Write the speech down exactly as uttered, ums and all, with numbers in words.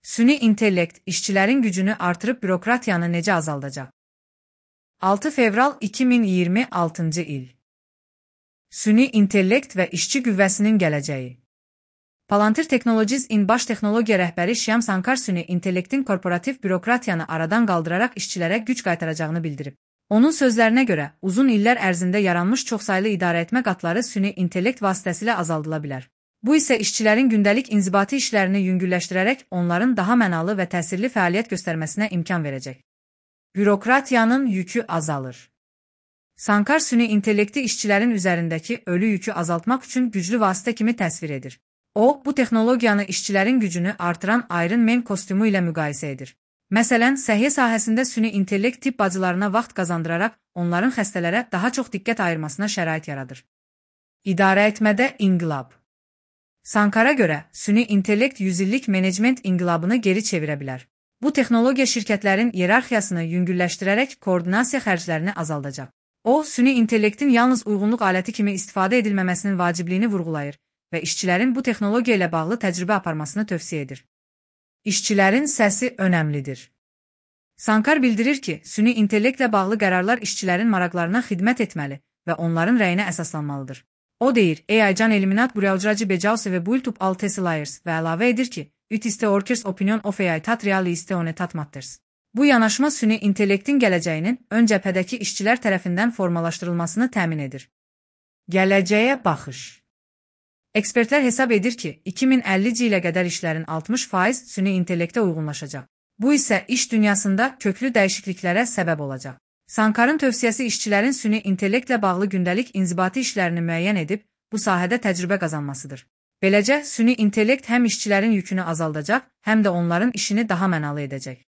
Süni intellekt, işçilərin gücünü artırıb bürokratiyanı necə azaldacaq? altı fevral iki min iyirmi altıncı il. Süni intellekt və işçi qüvvəsinin gələcəyi. Palantir Technologies in baş texnologiya rəhbəri Shyam Sankar süni intellektin korporativ bürokratiyanı aradan qaldıraraq işçilərə güc qaytaracağını bildirib. Onun sözlərinə görə, uzun illər ərzində yaranmış çoxsaylı idarəetmə qatları süni intellekt vasitəsilə azaldıla bilər. Bu isə işçilərin gündəlik inzibati işlərini yüngülləşdirərək onların daha mənalı və təsirli fəaliyyət göstərməsinə imkan verəcək. Bürokratiyanın yükü azalır. Sankar süni intellekti işçilərin üzərindəki ölü yükü azaltmaq üçün güclü vasitə kimi təsvir edir. O, bu texnologiyanı işçilərin gücünü artıran Iron Man kostyumu ilə müqayisə edir. Məsələn, səhiyyə sahəsində süni intellekt tibb bacılarına vaxt qazandıraraq onların xəstələrə daha çox diqqət ayırmasına şərait yaradır. İdarəetmədə inqilab. Sankara görə, süni intellekt yüzillik menecment inqilabını geri çevirə bilər. Bu texnologiya şirkətlərin iyerarxiyasını yüngülləşdirərək koordinasiya xərclərini azaldacaq. O, süni intellektin yalnız uyğunluq aləti kimi istifadə edilməməsinin vacibliyini vurğulayır və işçilərin bu texnologiya ilə bağlı təcrübə aparmasını tövsiyə edir. İşçilərin səsi önəmlidir. Sankar bildirir ki, süni intellektlə bağlı qərarlar işçilərin maraqlarına xidmət etməli və onların rəyinə əsaslanmalıdır. O deyir, A I can eliminat buryaujracı becausi ve build up all tesilayers və əlavə edir ki, it is the workers opinion of A I tat reali iste one tat matters. Bu yanaşma süni intellektin gələcəyinin ön cəbhədəki işçilər tərəfindən formalaşdırılmasını təmin edir. Gələcəyə baxış. Ekspertlər hesab edir ki, iki min əllinci ilə qədər işlərin altmış faiz süni intellektə uyğunlaşacaq. Bu isə iş dünyasında köklü dəyişikliklərə səbəb olacaq. Sankarın tövsiyəsi işçilərin süni intellektlə bağlı gündəlik inzibati işlərini müəyyən edib, bu sahədə təcrübə qazanmasıdır. Beləcə, süni intellekt həm işçilərin yükünü azaldacaq, həm də onların işini daha mənalı edəcək.